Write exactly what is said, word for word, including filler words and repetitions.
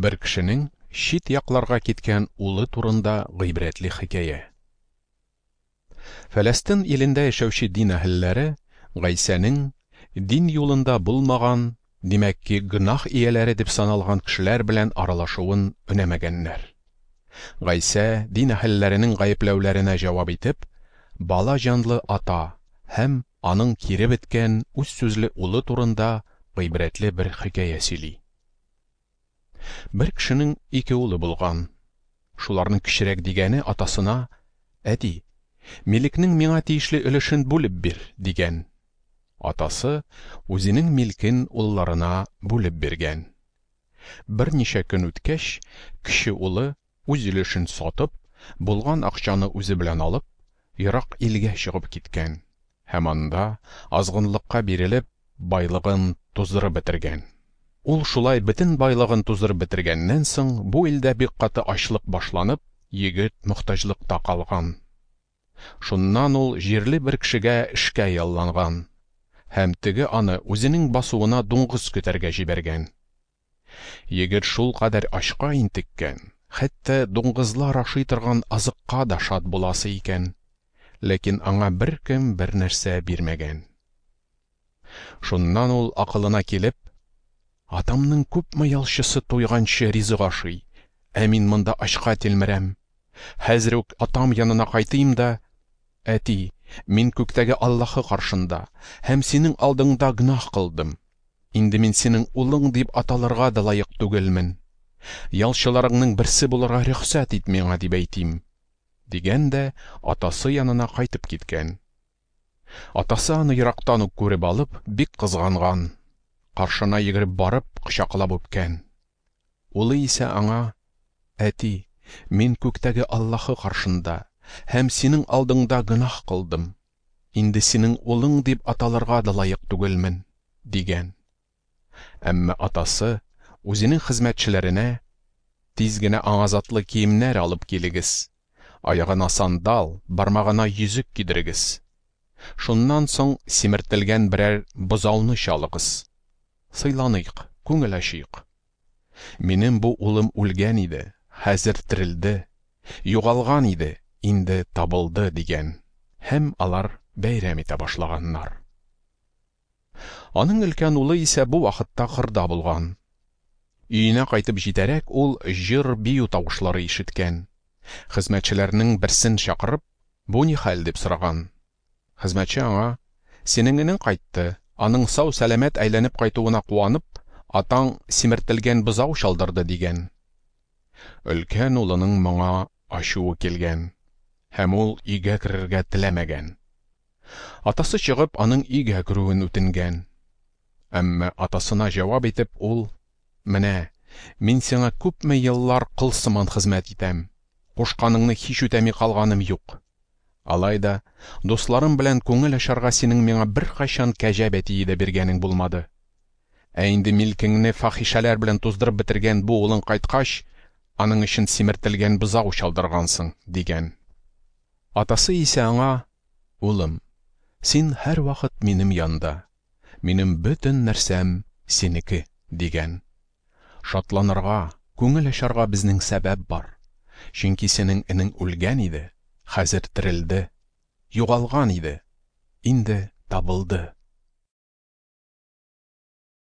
Бер кешенең чит якларга киткән улы турында гыйбрәтле хикәя. Фәләстин илендә яшәүче дин әһелләре Гайсәнең дин юлында булмаган, димәк ки, гөнаһ ияләре дип саналган кешеләр белән аралашуын өнәмәгәннәр. Гайсә дин әһелләренең гаепләүләренә җавап итеп, бала җанлы ата һәм аның кире беткән үз сүзле улы турында гыйбрәтле бер хикәя сөйли. Бер кешенең ике улы булган. Шуларның кечерәк дигәне атасына: "Әти, милекнең миңа тиешле өлешен бүлеп бир", дигән. Атасы үзенең милкен улларына бүлеп биргән. Берничә көн үткәч, кече улы үз өлешен сатып, булган акчаны үзе белән алып, ерак илгә чыгып киткән һәм анда азгынлыкка бирелеп, байлыгын туздырып бетергән. Ул шулай бөтен байлыгын туздырып бетергәннән соң, бу илдә бик каты ачлык башланып, егет мохтаҗлыкта калган. Шуннан ул җирле бер кешегә эшкә ялланган һәм теге аны үзенең басуына дуңгыз көтәргә җибәргән. Егет шул кадәр ачка интеккән, хәтта дуңгызлар ашый торган азыкка да шат буласы икән. Ләкин аңа беркем бер нәрсә бирмәгән. Шуннан ул акылына килеп: "Атамның күпме ялчысы туйганчы ризык ашый, ә мин монда ачка тилмерәм. Хәзер үк атам янына кайтыйм да: Әти, мин күктәге Аллаһы каршында һәм синең алдыңда гөнаһ кылдым. Инде мин синең улың дип аталырга да лаек түгелмен. Ялчыларыңның берсе булырга рөхсәт ит миңа, дип әйтим", дигән дә атасы янына кайтып киткән. Атасы аны ерактан ук күреп алып, бик кызганган. Каршына йөгереп барып, кочаклап үпкән. Улы исә аңа: "Әти, мин күктәге Аллаһы каршында һәм синең алдыңда гөнаһ кылдым. Инде синең улың дип аталырга да лаек түгелмен", дигән. Әмма атасы үзенең хезмәтчеләренә: "Тиз генә аңа затлы киемнәр алып килегез, аягына сандал, бармагына йөзек кидерегез. Шуннан соң симертелгән берәр бозауны чалыгыз. Сыйланыйк, күңел ачыйк. Минем бу улым үлгән иде, хәзер терелде, югалган иде, инде табылды", дигән. Һәм алар бәйрәм итә башлаганнар. Аның өлкән улы исә бу вакытта кырда булган. Өенә кайтып җитәрәк, ул җыр-бию тавышлары ишеткән. Хезмәтчеләрнең берсен чакырып, "Бу ни хәл?" дип сораган. Хезмәтче аңа: "Синең энең кайтты, аның сау-сәламәт әйләнеп кайтуына куанып, атаң симертелгән бозау чалдырды", дигән. Өлкән улының моңа ачуы килгән, һәм ул өйгә керергә теләмәгән. Атасы чыгып, аның өйгә керүен үтенгән. Әмма атасына җавап итеп ул: "Менә, мин сиңа күпме еллар кол сыман хезмәт итәм, кушканыңны һич үтәми калганым юк. Алай да дусларым белән күңел ачарга синең миңа беркайчан кәҗә бәтие дә биргәнең булмады. Ә инде милкеңне фахишәләр белән туздырып бетергән бу улың кайткач, аның өчен симертелгән бозау чалдыргансың", дигән. Атасы исә аңа: "Улым, син һәрвакыт минем янда, минем бөтен нәрсәм синеке", дигән. Шатланырга, күңел ачарга безнең сәбәп бар. Чөнки синең энең үлгән иде, хәзер терелде, югалган иде, инде табылды.